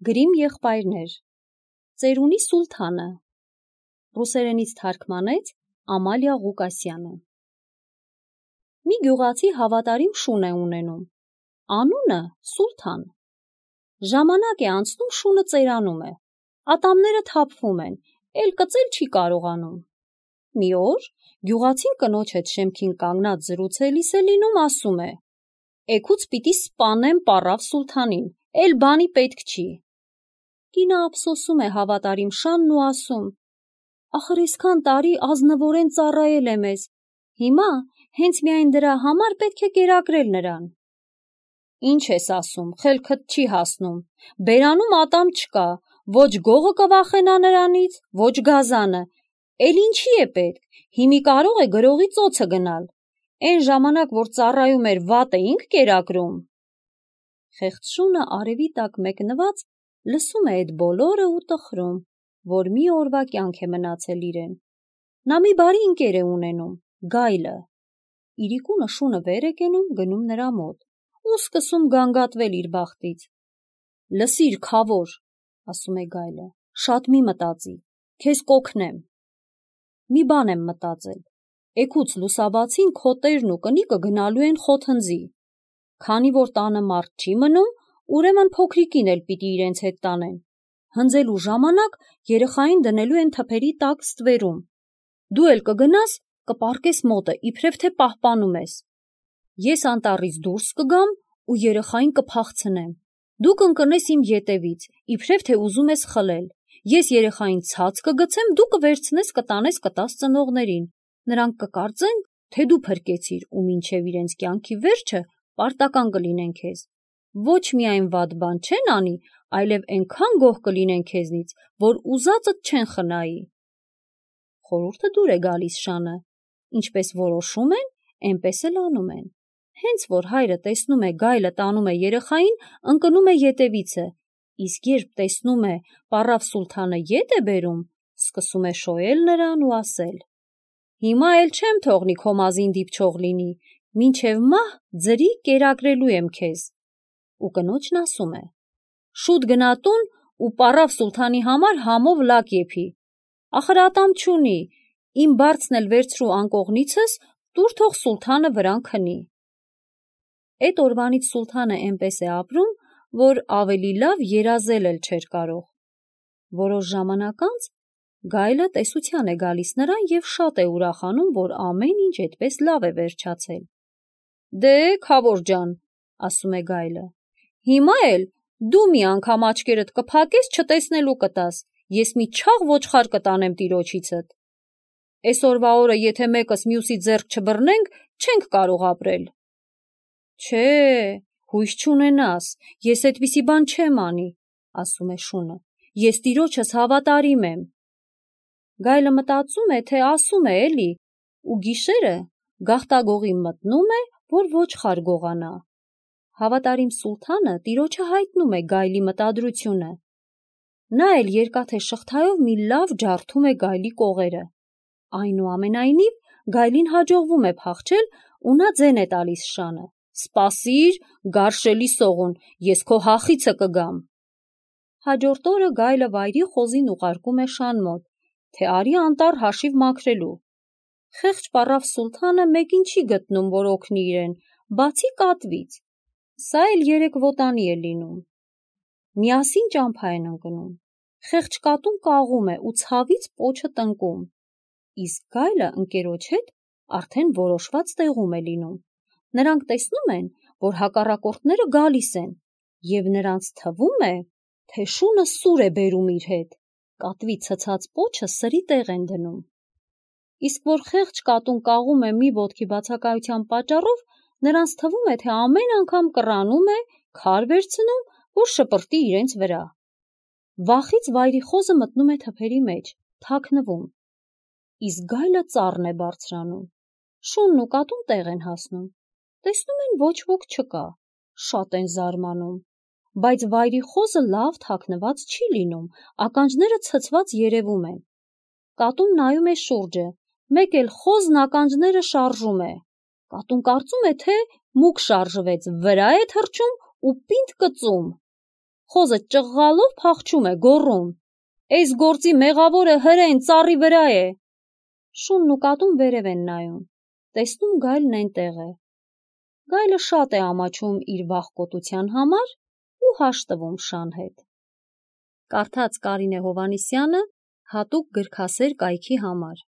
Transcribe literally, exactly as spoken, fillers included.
Գրիմ եղբայրներ, Ծերունի Սուլթանը, ռուսերենից թարգմանեց Ամալիա Ղուկասյանը։ Մի գյուղացի հավատարիմ շուն է ունենում, անունը Սուլթան։ Ժամանակ է անցնում, շունը ծերանում է, ատամները թափվում են, էլ կծել չի կարողանում։ Մի օր գյուղացին կնոջ հետ շեմքին կանգնած զրուցելիս է լինում, ասում է. «Էգուց պիտի սպանեմ պառավ Սուլթանին, էլ բանի պետք չի»։ Կինը ափսոսում է հավատարիմ շանն ու ասում. «Ախր այսքան տարի ազնվորեն ծառայել է մեզ, հիմա հենց միայն դրա համար պետք է կերակրել նրան»։ «Ինչ ես ասում, խելքդ չի հասնում, բերանում ատամ չկա, ոչ գողը կվախենա նրանից, ոչ գազանը, էլ ինչի է պետք, հիմի կարող է գրողի ծոցը գնալ, էն ժամանակ, որ ծառայում էր, վատ էինք կերակրում»։ Խեղճ շունը արևի տակ մեկնված լսում է այդ բոլորը ու տխրում, որ մի օրվա կյանք է մնացել իրեն։ Նա մի բարի ընկեր է ունենում, գայլը։ Իրիկունը շունը վեր է կենում, գնում նրա մոտ ու սկսում գանգատվել իր բախտից։ «Լսիր, քավոր», ասում է գայլը, «շատ մի մտածի, քեզ կօգնեմ»։ «Մի բան եմ մտածել, էգուց լուսաբացին քո տերն ու կնիկը գնալու են խոթնձի, քանի որ տանը մարդ չի մնում, ուրեմն փոքրիկին էլ պիտի իրենց հետ տանեն, հնձելու ժամանակ երեխային դնելու են թփերի տակ ստվերում, դու էլ կգնաս, կպառկես մոտը, իբրև թե պահպանում ես, ես անտառից դուրս կգամ ու երեխային կփախցնեմ, դու կընկնես իմ ետևից, իբրև թե ուզում ես խլել, ես երեխային ցած կգցեմ, դու կվերցնես, կտանես, կտաս ծնողներին, նրանք կկարծեն, թե դու փրկեցիր ու մինչև իրենց կյանքի վերջը պարտական կլինեն քեզ, ոչ միայն վատ բան չեն անի, այլև այնքան գոհ կլինեն քեզնից, որ ուզածդ չեն խնայի»։ Խորհուրդը դուր է գալիս շանը, ինչպես որոշում են, այնպես էլ անում են։ Հենց որ հայրը տեսնում է գայլը տանում է երեխային, ընկնում է ետևիցը, իսկ երբ տեսնում է պառավ Սուլթանը ետ է բերում, սկսում է շոյել նրան ու ասել. «Հիմա էլ չեմ թողնի քո մազին դիպչող լինի, մինչև մահ ձրի կերակրելու եմ քեզ»։ Ու կնոջն ասում է. «Շուտ գնա տուն ու պառավ Սուլթանի համար համով լաք եփի, ախր ատամ չունի, իմ բարձն էլ վերցրու անկողնիցս, տուր թող Սուլթանը վրան քնի»։ Էդ օրվանից Սուլթանը էնպես է ապրում, որ ավելի լավ երազել էլ չէր կարող։ Որոշ ժամանակ անց գայլը տեսության է գալիս նրան և շատ է ուրախանում, որ ամեն ինչ այդպես լավ է վերջացել։ «Դե, քավոր ջան», ասում է գայլը, «հիմա էլ դու մի անգամ աչքերդ կփակես, չտեսնելու կտաս, ես մի չաղ ոչխար կտանեմ տիրոջիցդ։ Էսօրվա օրը եթե մեկս մյուսի ձեռք չբռնենք, չենք կարող ապրել»։ «Չէ, հույս չունենաս, ես այդպիսի բան չեմ անի», ասում է շունը, «ես տիրոջս հավատարիմ եմ»։ Գայլը մտածում է, թե ասում է էլի, ու գիշերը գաղտագողի մտնում է, որ ոչխար գողանա։ Հավատարիմ Սուլթանը տիրոջը հայտնում է գայլի մտադրությունը։ Նա էլ երկաթե շղթայով մի լավ ջարդում է գայլի կողերը։ Այնուամենայնիվ գայլին հաջողվում է փախչել ու նա ձեն է տալիս շանը. «Սպասիր, գարշելի սողուն, ես քո հախիցը կգամ»։ Հաջորդ օրը գայլը վայրի խոզին ուղարկում է շան մոտ, թե արի անտառ հաշիվ մաքրելու։ Խեղճ պառավ Սուլթանը մեկին չի գտնում, որ օգնի իրեն, բացի կատվից։ Սա էլ երեք ոտանի է լինում։ Միասին ճամփա են ընկնում։ Խեղճ կատուն կաղում է ու ցավից պոչը տնկում։ Իսկ գայլը ընկերոջ հետ արդեն որոշված տեղում է լինում։ Նրանք տեսնում են, որ հակառակորդները գալիս են, և նրանց թվում է, թե շունը սուր է բերում իր հետ, կատվի ցցած պոչը սրի տեղ են դնում։ Իսկ որ խեղճ կատուն կաղում է մի ոտքի բացակայության պատճառով, նրանց թվում է, թե ամեն անգամ կռանում է, քար վերցնում, որ շպրտի իրենց վրա։ Վախից վայրի խոզը մտնում է թփերի մեջ, թաքնվում։ Իսկ գայլը ծառն է բարձրանում։ Շունն ու կատուն տեղ են հասնում։ Տեսնում են ոչ ոք չկա, շատ են զարմանում, բայց վայրի խոզը լավ թաքնված չի լինում, ականջները ցցված երևում են։ Կատուն նայում է շուրջը, մեկ էլ խոզն ականջները շարժում է։ Կատուն կարծում է, թե մուկ շարժվեց, վրա է թռչում ու պինդ կծում։ խոզը ճղղալով փախչում է, գոռում. «Էս գործի մեղավորը հրեն ծառի վրա է»։ Շունն ու կատուն վերև են նայում, տեսնում գայլն այնտեղ է։ Գայլը շատ է ամաչում իր վախկոտության համար ու հաշտվում շան հետ։ Կարդաց Կարինե Հովհաննիսյանը հատուկ գրքասեր կայքի համար։